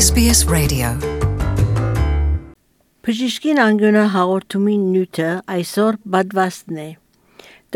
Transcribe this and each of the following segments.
SBS Radio. Բժիշկին անգյունը հաղորդումի նյութը այսօր բադվաստն է։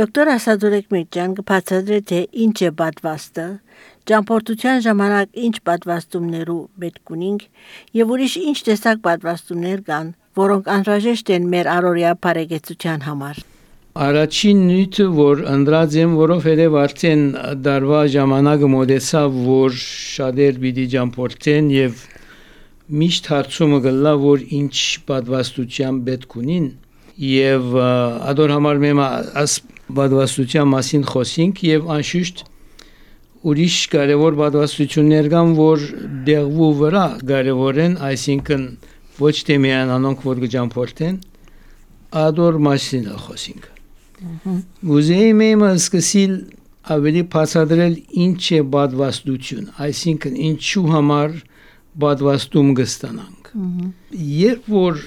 Դոկտոր Ասադուրեկ Միրճան կբացատրի թե ինչ է բադվաստը, ճամփորդության ժամանակ ինչ բադվաստումներու պետք ունենք եւ ուրիշ ինչ տեսակ բադվաստումներ կան, որոնք անհրաժեշտ են մեր առօրյա բարեկեցության համար։ Առաջին նյութը, որ ընդրած եմ, որովհետև արդեն դարվա ժամանակը մոտեցավ, որ շատեր պիտի ճամփորդեն եւ միշտ հարցումը գլա, որ ինչ պատվաստության պետք ունին եւ ադոր համար մեմ աս պատվաստության մասին խոսենք եւ անշուշտ ուրիշ կարևոր պատվաստություններ կան, որ դեղվու վրա կարևոր են, այսինքն ոչ թե միայն անոնք, որ կճամփորդեն, ադոր մասին խոսենք։ Ուզեի եմ սկսել ավելի բացատրել ինչ է պատվաստություն, այսինքն ինչու համար պատվաստում կստանանք։ Երբ որ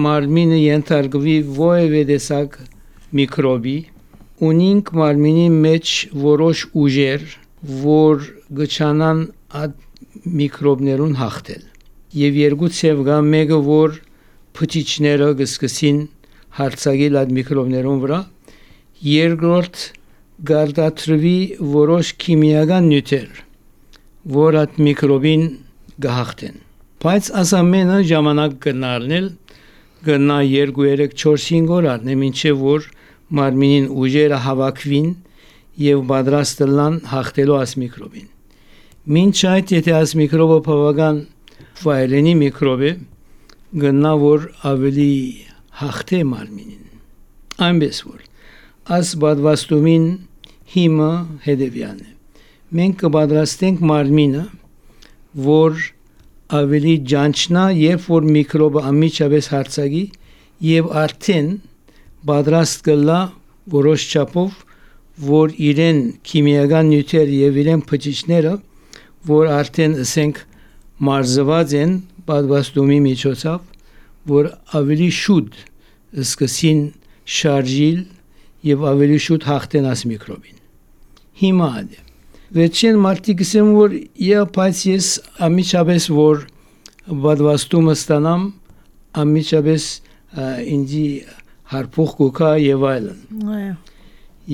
մարմինը ենթարկվի որևէ տեսակ միկրոբի, ունենք մարմինի մեջ որոշ ուժեր, որ գճանան այդ միկրոբներուն հաղթել։ Եվ երկու ցև կա, մեկը որ փչիչները կսկսին հարցակել այդ միկրոբներուն վրա, երկրորդ գարդատրվի որոշ քիմիական նյութեր, որ այդ միկրոբին կհաղթեն։ Բայց ասամենը ժամանակ կնարնել, կնա 2-3-4-5 օր առնե, մինչև որ մարմինին ուժերը հավաքվին եւ պատրաստ լան հաղթելու այս միկրոբին։ Մինչ այդ, եթե այս միկրոբը բավական վայրենի միկրոբ է, կնա որ ավելի հաղթե մարմինին։ Այնպես որ այս պատվաստումին հիմը հետևյալն է։ Մենք կպատրաստենք մարմինը, որ ավելի ջանչնա, երբ որ միկրոբը անմիջապես հարցակի եւ արդեն պատրաստ կլա որոշ չափով, որ իրեն քիմիական նյութեր եւ իրեն փչիչները, որ արդեն ասենք մարզված են պատվաստումի միջոցով, որ ավելի շուտ սկսին շարժիլ եւ ավելի շուտ հաղթեն այս միկրոբին։ Հիմա է։ Վերջին մարտի գսեմ, որ բայց ես ամիջապես որ պատվաստումը ստանամ, ամիջապես ինձի հարփող կուքա եւ այլն։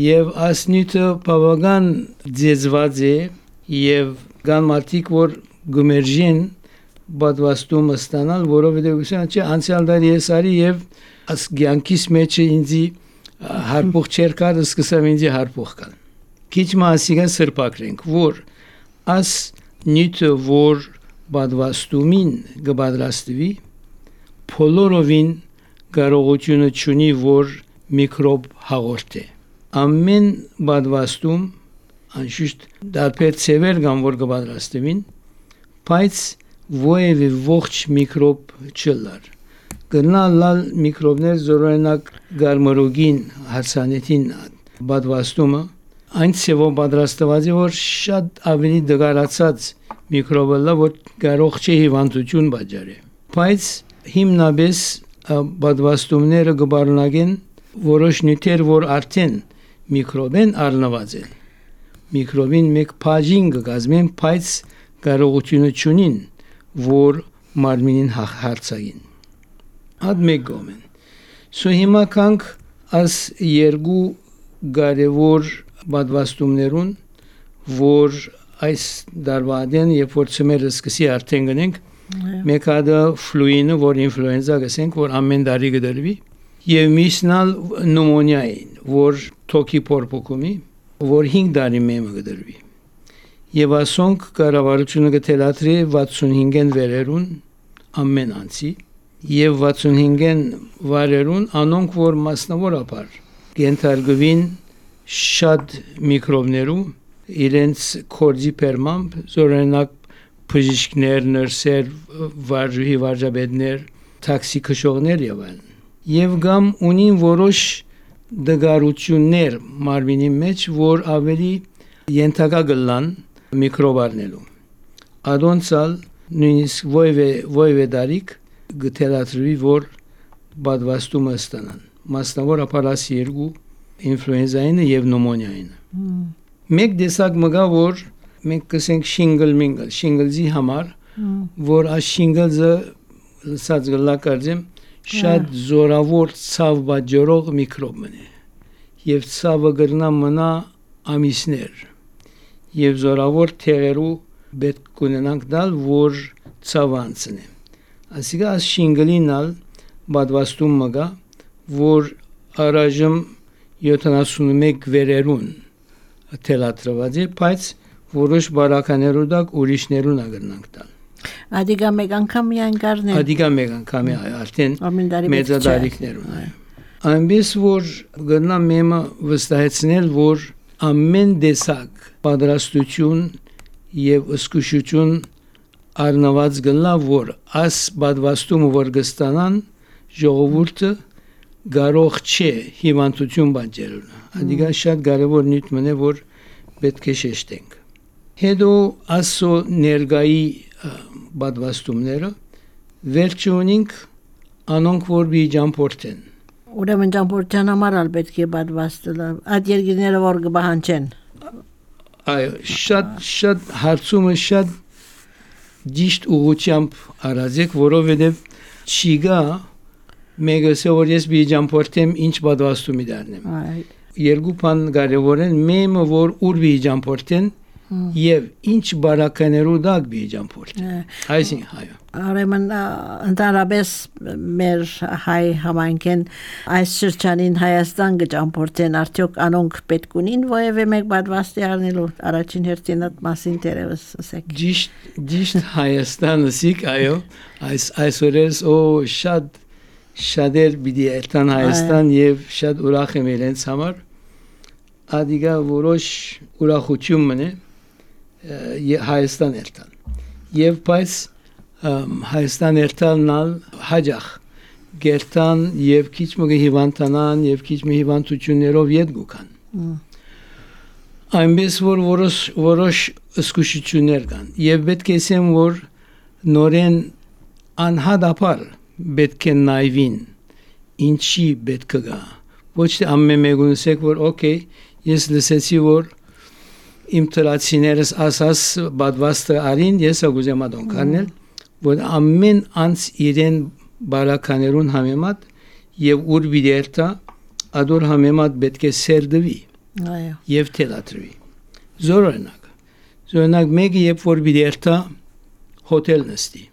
Եվ ասնիթը բավական ձեզված է եւ կան մարդիկ, որ գմերժեն պատվաստումը ստանալ, որովհետեւ ուսան չէ անցյալ դարիեսարի եւ աս գյանքիս մեջը ինձի հարփող չեր կար, սկսավ ինձի հարփող կան։ Քիչ մասիկա սրբակրենք, որ աս նյութը, որ պատվաստումին կպատրաստվի, փոլորովին կարողությունը չունի, որ միկրոբ հաղորդե։ Ամեն պատվաստում անշուշտ դարբեր ցևեր կան, որ կպատրաստվին, բայց որևէ ողջ միկրոբ չլար։ Գնալ միկրոբներ զորօրինակ գարմարոգին հարսանեթին պատվաստումը այն ցևով պատրաստված է, որ շատ ավելի դգարացած միկրոբը լա, որ կարող չէ հիվանդություն պատճառի։ Բայց հիմնապես պատվաստումները կբարունակեն որոշ նյութեր, որ արդեն միկրոբեն առնված են։ Միկրոբին մեկ բաժին կգազմեն, բայց կարողությունը չունին, որ մարմինին հարցակին։ Ad megomen. So հիմա կանք աս երկու կարևոր պատվաստումներուն, որ այս դարվադեն երբ որ ծմերը սկսի արդեն գնենք, մեկ հատը ֆլուինը, որ ինֆլուենզա գսենք, որ ամեն տարի կդրվի, եւ միսնալ նոմոնիային, որ թոքի փորփոքումի, որ 5 տարի մեմը կդրվի։ Եվ ասոնք կառավարությունը կթելադրի 65-ն վերերուն ամեն անցի եւ 65-ն վարերուն անոնք որ մասնավորապես կենթարկվին շատ միկրոբներու իրենց կորձի պերմամբ զորենակ բժիշկներ, նրսեր, վարժապետներ, տաքսի քշողներ եւ այլն։ Եվ գամ ունին որոշ դգարություններ մարմինի մեջ, որ ավելի ենթակա գլան միկրոբարնելու։ Ադոնցալ նույնիսկ ոյվե դարիք գտելատրվի, որ պատվաստումը ստանան։ Մասնավորապես երկու ինֆլուենզայինը եւ նոմոնիայինը։ Մեկ դեսակ մգա, որ մենք կսենք շինգլ, շինգլզի համար, որ աշինգլզը լսած գլակարձեմ շատ զորավոր ցավ բաժորող միկրոբ մնե եւ ցավը գրնա մնա ամիսներ եւ զորավոր թերերու պետք կունենանք դալ որ ցավանցնե ասիկա աշինգլինալ բադվաստում մգա որ առայժմ 71 վերերուն թելատրված է բայց որոշ բարականերու դակ ուրիշներուն ագրնանք տալ Ադիգա մեկ անգամ միայն գարներ Ադիգա մեկ անգամ արդեն մեծադարիքներուն այնպես որ գտնա մեմը վստահեցնել որ ամեն դեսակ պատրաստություն եւ ըսկուշություն առնված գնա որ աս բադվաստումը որ գստանան ժողովուրդը Գարող չէ հիվանդություն բանջերունը Ադիգա շատ կարևոր նյութ մնե որ պետք է շեշտենք Հետո ասո ներգայի բադվաստումները վերջը ունենք անոնք որ բիջամփորտեն Ուրեմն ճամփորդության համար ալ պետք է բադվաստել այդ երկիրները որ կբահանչեն Այո շատ հարցումը շատ ճիշտ ուղղությամբ արածեք որովհետև չիգա Մեգասը որ ես բիջամփորտեմ ինչ բադվաստումի դառնեմ երկու բան կարևոր են մեմը որ ուր բիջամփորտեն եւ ինչ բարականերու դակ բիջամփորտեն այսինքն այո Ուրեմն ընդհանրապես մեր հայ համայնքեն այս շրջանին Հայաստան կճամփորդեն արդյոք անոնք պետք ունին որևէ մեկ բադվաստի առնելու առաջին հերթին այդ մասին դերևս ասեք Ճիշտ Հայաստանը սիկ այո այսօրես շատեր բիդի այլտան Հայաստան եւ շատ ուրախ եմ իրենց համար ադիգա որոշ ուրախություն մնե Հայաստան այլտան եւ բայց Հայաստան այլտանալ հաջախ գերտան եւ քիչ մը հիվանդանան եւ քիչ մը հիվանդություններով յետ գուքան այնպես որ որոշ ըսկուշություններ կան եւ պետք է ասեմ որ նորեն անհադապար պետք է նայվին ինչի պետք է գա ոչ թե ամեն մեկունսեք որ օքեյ ես լսեցի որ իմ տրացիներս ասաս բադվաստը արին ես ագուզեմ ադոն կանել որ ամեն անց իրեն բարականերուն համեմատ եւ ուր բիդերտա ադոր համեմատ պետք է սերդվի եւ թելատրվի զորոնակ մեկը երբ որ բիդերտա հոթել նստի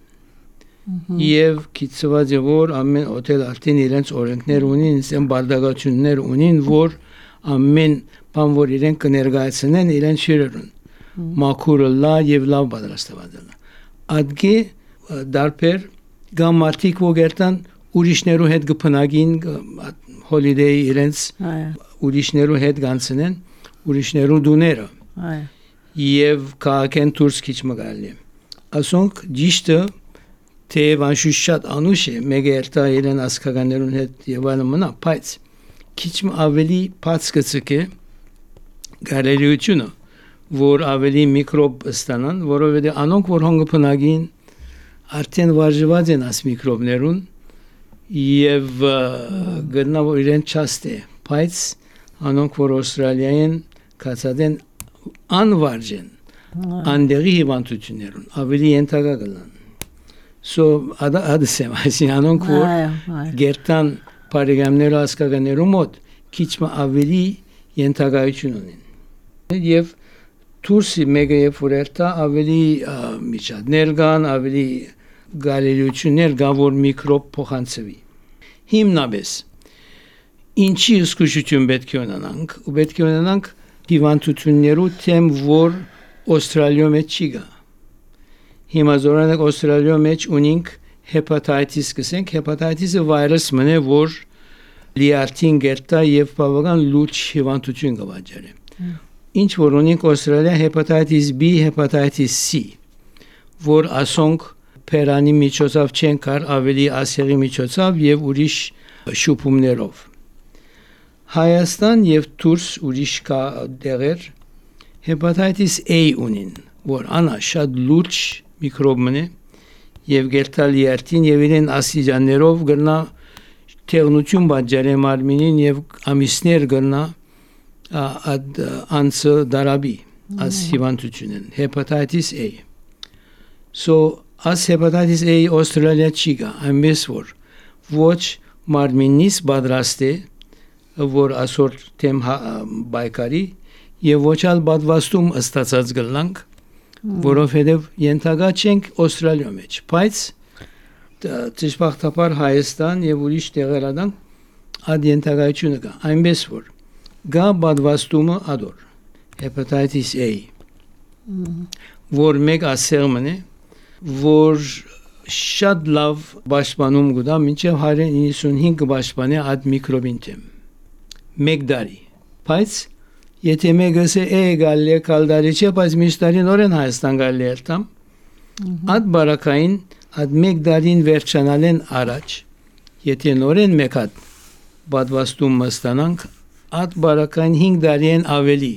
Եվ քիծված է որ ամեն հոթել արդեն իրենց օրենքներ ունին, իրենց բարդագություններ ունին, որ ամեն բան որ իրենք կներկայացնեն իրենց հյուրերուն։ Մաքուրը լա եւ լավ պատրաստված է։ Ադգե դարբեր գամարտիկ ոգերտան ուրիշներու հետ կփնագին հոլիդեյ իրենց ուրիշներու հետ գանցնեն, ուրիշներու դուները։ Եվ քաղաքեն դուրս քիչ մգալի։ Ասոնք ճիշտը Թե վանշուշ շատ անուշ է, մեկ երտա իրեն ասկականերուն հետ եւ այլն մնա, բայց քիչ ավելի բաց կցկե գարելիությունը, որ ավելի միկրոբ ստանան, որովհետեւ անոնք որ հոնգը փնագին արդեն վարժված են աս միկրոբներուն եւ գտնա որ իրեն չաստ է, բայց անոնք որ Ավստրալիայեն կացած են անվարժեն, անդերի հիվանդություններուն ավելի ենթակա կլան adısem anonk որ գերտան բարեկամներու ասկականերու մոտ քիչ ավելի ենթակայություն ունեն եւ դուրսի մեգա եւ ֆուրերտա ավելի միջադներ կան ավելի գալելիություններ կան որ միկրոբ փոխանցվի հիմնապես ինչի զգուշություն պետք է ունենանք ու պետք է ունենանք հիվանդություններու թեմ որ Ավստրալիա մեջ չի գա Հիմա զորանակ Ավստրալիա մեջ ունենք հեպատիտիս կսենք հեպատիտիսը վիրուս մնե որ լիարտին գերտա եւ բավական լուրջ հիվանդություն կվաճառի ինչ որ ունենք Ավստրալիա հեպատիտիս B հեպատիտիս C որ ասոնք Պերանի միջոցով չեն կար ավելի ասերի միջոցով եւ ուրիշ շուփումներով Հայաստան եւ դուրս ուրիշ կա դերեր հեպատիտիս A ունին որ անա շատ լուրջ միկրոբ մնե եւ գերտալ երթին եւ իրեն ասիջաններով գրնա թեղնություն բաժարե մարմինին եւ ամիսներ գրնա ad անցը դարաբի as հիվանդությունն hepatitis A so As hepatitis A Australia չի գա, այնպես որ ոչ մարմինից պատրաստ է, որ ասոր թեմ բայկարի եւ ոչ ալ պատվաստում ստացած գլանք, որովհետեւ ենթակա չենք Ավստրալիա մեջ, բայց ճշմարտաբար Հայաստան եւ ուրիշ տեղերադան ad ենթակայությունը կա, այնպես որ գա պատվաստումը ադոր hepatitis A որ մեկ ասերմն է որ շատ լավ պաշտպանում գտա մինչև 195 պաշտպանի ad միկրոբին թեմ մեկ դարի բայց եթե մեկը է գալի կալդարի չէ բայց միշտարին օրեն Հայաստան գալի էր տամ ad բարակային ad մեկ դարին վերջանալեն առաջ եթե նորեն մեկ հատ պատվաստում մստանանք ad բարակային 5 դարին ավելի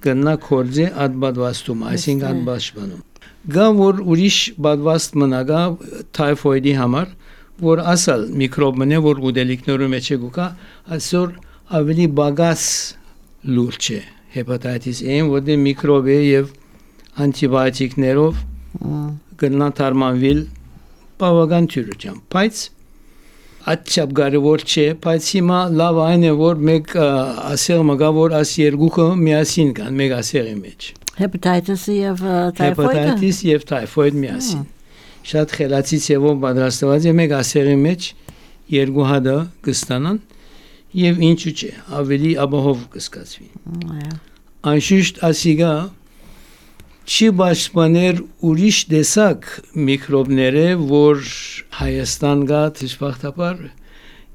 կնա կորձե ad պատվաստում այսինքն ad պաշտպանում գա որ ուրիշ պատվաստ մնագա թայֆոիդի համար որ ասալ միկրոբն է որ ուդելիքներու մեջ գուկա այսօր ավելի բագաս լուրջ է հեպատիտիս A-ն որտե միկրոբ է եւ անտիբիոտիկներով կնա թարմանվիլ բավական թյուրությամբ բայց աչափ կարևոր չէ բայց հիմա լավ այն է որ մեկ ասել մգա որ աս երկուքը միասին կան մեկ ասերի մեջ Hepatitis եւ typhoid Hepatitis եւ typhoid միասին շատ խելացի ցեվով պատրաստված է մեկ ասերի մեջ երկու հատը կստանան եւ ինչու՞ չէ ավելի ապահով կսկացվի անշուշտ ասիգա չի պաշտպաներ ուրիշ տեսակ միկրոբները որ Հայաստան գա դժբախտաբար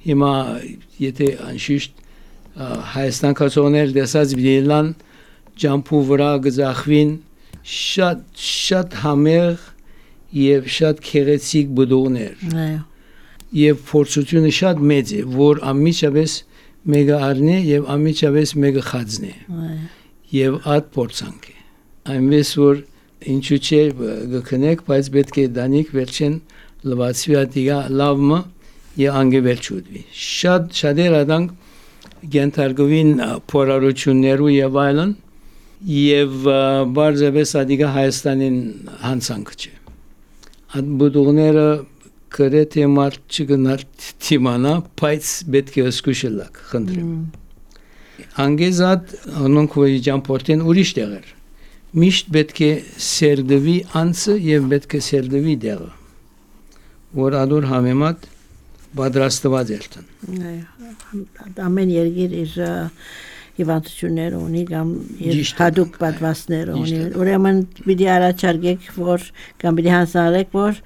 հիմա եթե անշուշտ Հայաստան կացողներ տեսած վիլան ջամփու վրա գզախվին շատ համեղ եւ շատ քեղեցիկ բդողներ եւ փորձությունը շատ մեծ է որ ամիջապես մեկը առնի եւ ամիջապես մեկը խածնի եւ այդ փորձանք է այնպես որ ինչու՞ չէ գքնեք բայց պետք է դանիք վերջեն լվացվի ադիգա լավը եւ անգևերչուդվի շատեր աданք գենթարգովին փորարություններու եւ այլն եւ բարձրապես ադիգա Հայաստանին հանցանք չէ այդ բուդուղները կրեթե մարդ չգնար թիմանա բայց պետք է սկուշելակ խնդրեմ անգեզատ անոնք որ ջամփորտեն ուրիշ տեղեր միշտ պետք է սերդվի անցը եւ պետք է սերդվի դեղը որ ադոր համեմատ պատրաստված երթան ամեն երկիր իր հիվանդություններ ունի կամ իր հadoop պատվաստներ ունի ուրեմն պիտի առաջարկեք որ կամ պիտի հանձնարարեք որ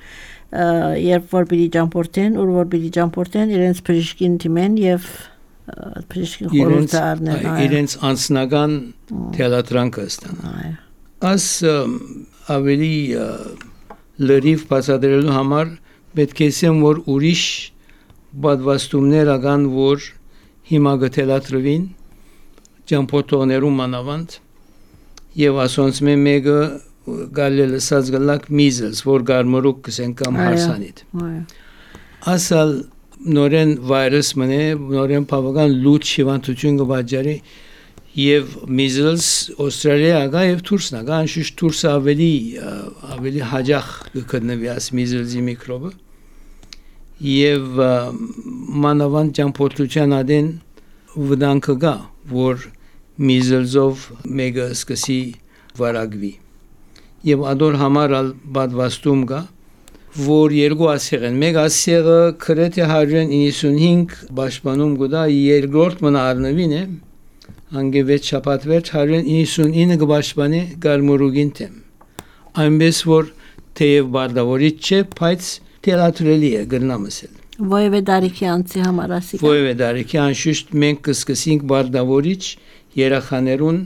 երբ որ պիտի ջամփորտեն ու որ պիտի ջամփորտեն իրենց բժշկին դիմեն եւ բժշկին խորհուրդ առնեն իրենց անձնական թելատրանքը ստանան As ավելի լրիվ բացատրելու համար պետք է ասեմ որ ուրիշ պատվաստումներ ական որ հիմա գտելատրվին ջամփոտոներու մանավանդ եւ ասոնց մեկը գալել ասած գլակ measles որ գարմորուկ կսեն կամ հարսանիտ ասալ նորեն վիրուս մնե նորեն բավական լուրջ հիվանդություն կբաժարի եւ measles Australia գա եւ Թուրքսն գա անշուշտ Թուրքսը ավելի հաջող կգտնվի as measles-ի միկրոբը եւ մանավանդ ջամփորդության adin վտանգը գա որ measles-ով մեկը սկսի վարակվի եւ ադոր համար պատվաստում գա որ երկու ասեղ են մեկ ասեղը կրեթե 195 պաշտպանում գտա երկրորդ մնա առնվին է անգևետ շապատվետ 199 գբաշպանի գարմորուգին թեմ այնպես որ թեև բարդավորիչ չէ բայց թելատրելի է գրնամսել Ոյվե դարիքի անցի համար ասիկա Ոյվե դարիքի անշուշտ մենք կսկսենք բարդավորիչ երախաներուն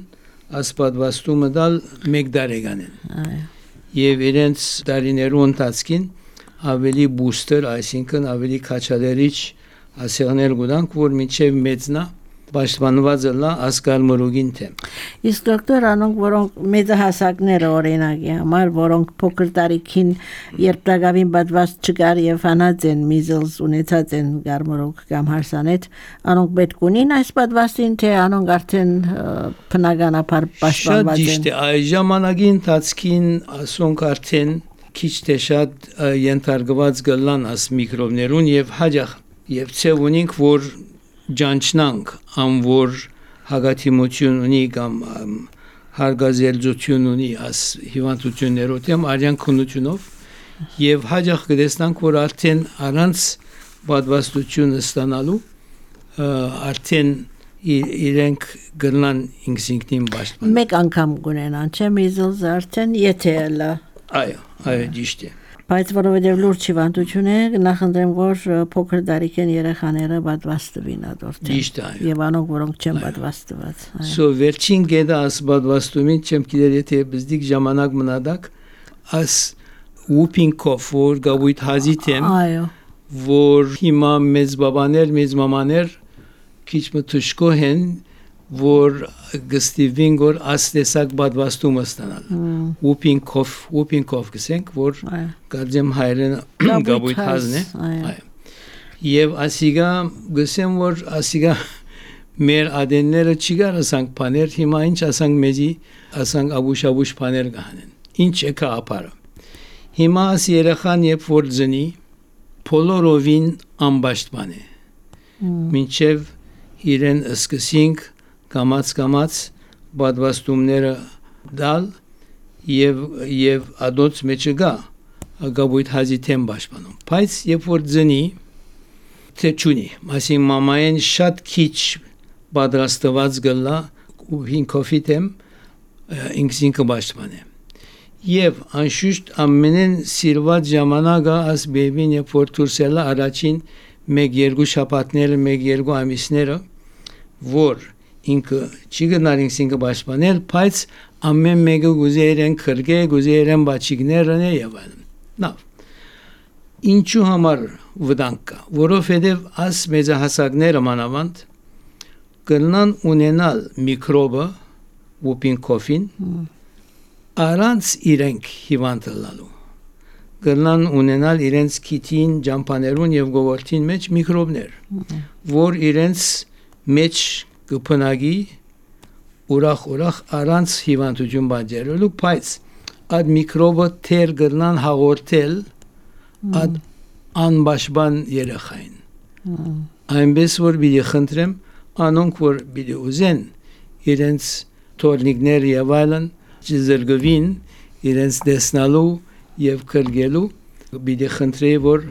ասպատվաստումը դալ մեկ դարեգանեն եւ իրենց դարիներու ընթացքին ավելի բուստեր այսինքն ավելի քաչալերիչ ասեղներ գուտանք որ մինչեւ մեծնա պաշտպանված լա ասկալմորուգին թեմ Իսկ դոկտոր անոնք որոնք մեծահասակները օրինակի համար որոնք փոքր տարիքին երբ դակավին պատված չկար եւ հանած են measles ունեցած են գարմորուկ կամ հարսանետ անոնք պետք ունին այս պատվաստին թե անոնք արդեն բնականաբար պաշտպանված են Շատ ճիշտ է այս ժամանակի ընթացքին ասոնք արդեն քիչ թե շատ ենթարկված գլան աս միկրոբներուն եւ հաջախ եւ ցև ունենք որ ջանչնանք ամ որ հագաթիմություն ունի կամ հարգազելձություն ունի աս հիվանդություններով դեմ արյան քնությունով եւ հաջախ կտեսնանք որ արդեն առանց պատվաստություն ստանալու արդեն իրենք գնան ինքնին պաշտպան մեկ անգամ գունենան չէ միզոզ արդեն եթե լա այո ճիշտ է բայց որովհետև լուրջ հիվանդություն է նախընտրեմ որ փոքր տարիքեն երեխաները պատվաստվին ադորտեն ճիշտ է եւ անոնք որոնք չեն պատվաստված սո վերջին գեդա աս պատվաստումին չեմ գիտեր եթե բզդիկ ժամանակ մնադակ աս ուպինկով որ գավույթ հազիթեմ այո որ հիմա մեծ բաբաներ մեծ մամաներ քիչ մտուշկո հեն որ գստիվին որ աստեսակ պատվաստումը ստանալ ուպինկով գսենք որ գարձեմ հայրեն գավույթ հազն է այո եւ ասիգա գսեմ որ ասիգա մեր ադենները չի գարասանք բաներ հիմա ինչ ասանք մեզի ասանք աբուշ բաներ գանեն ինչ է կապարը հիմա աս երեխան երբ որ ծնի փոլորովին անպաշտպան է մինչև իրեն սկսենք կամած պատվաստումները դալ եւ ադոց մեջը գաբույթ հազիթեն պաշտպանում բայց երբ որ ծնի թե ճունի ասին մամային շատ քիչ պատրաստված գլա ու հինքոֆիտեմ ինքսինքը պաշտպան է եւ անշուշտ ամենեն սիրված ժամանակը աս բեբին երբ որ դուրսելա առաջին 1-2 շաբաթները 1-2 ամիսները որ ինքը չի գնար ինքը պաշտպանել բայց ամեն մեկը գուզերեն քրգե գուզերեն բաչիկներն եւ այլն նավ ինչու համար վտանգ կա որովհետեւ աս մեծահասակները մանավանդ կնան ունենալ միկրոբը ուպինկոֆին առանց իրենք հիվանդ լալու կնան ունենալ իրենց քիթին ջամփաներուն եւ գովորտին մեջ միկրոբներ որ իրենց մեջ կփնագի ուրախ առանց հիվանդություն բաժերելու բայց այդ միկրոբը թեր կնան հաղորդել այդ անպաշտպան երեխային այնպես որ բիդի խնդրեմ անոնք որ բիդի ուզեն իրենց թորնիկներ եւ այլն զրգվին իրենց դեսնալու եւ քրգելու բիդի խնդրի որ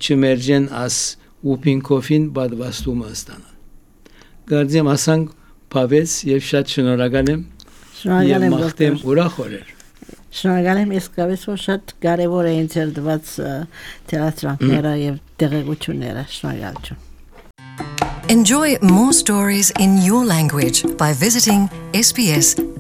չմերջեն աս ուպինկոֆին պատվաստումը ստանալ գարձեմ ասանք բավես եւ շատ շնորհակալ եմ եւ մաղթեմ ուրախ օրեր շնորհակալ եմ իսկապես որ շատ կարեւոր է ինձ դված թերացրանքները եւ տեղեկությունները շնորհակալություն Enjoy more stories in your language by visiting sbs.com.au